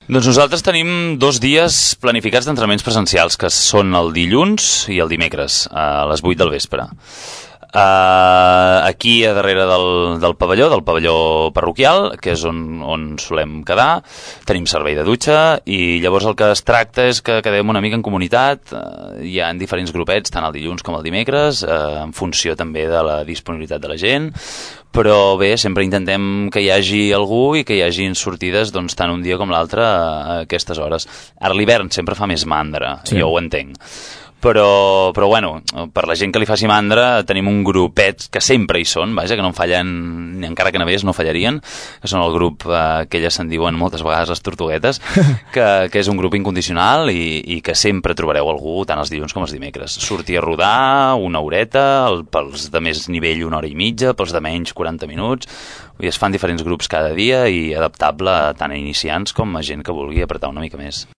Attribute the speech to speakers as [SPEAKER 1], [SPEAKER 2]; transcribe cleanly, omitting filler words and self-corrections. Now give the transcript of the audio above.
[SPEAKER 1] Doncs nosaltres tenim 2 dies planificats d'entrenaments presencials, que són el dilluns i el dimecres, a les 8 del vespre. Aquí a darrere del pavelló parroquial, que és on solem quedar, tenim servei de dutxa i llavors el que es tracta és que quedem una mica en comunitat. Hi ha diferents grupets, tant el dilluns com el dimecres, en funció també de la disponibilitat de la gent, però bé, sempre intentem que hi hagi algú i que hi hagin sortides doncs, tant un dia com l'altre a aquestes hores. Ara l'hivern sempre fa més mandra, sí. Jo ho entenc. Però bueno, per la gent que li faci mandra tenim un grupet que sempre hi són, vaja, que no en fallen, ni encara que nevés no fallarien, que són el grup que elles se'n diuen moltes vegades les tortuguetes, que és un grup incondicional i que sempre trobareu algú tant els dilluns com els dimecres. Sortir a rodar una horeta, pels de més nivell 1 hora i mitja, pels de menys 40 minuts, i es fan diferents grups cada dia i adaptable tant a iniciants com a gent que vulgui apretar una mica més.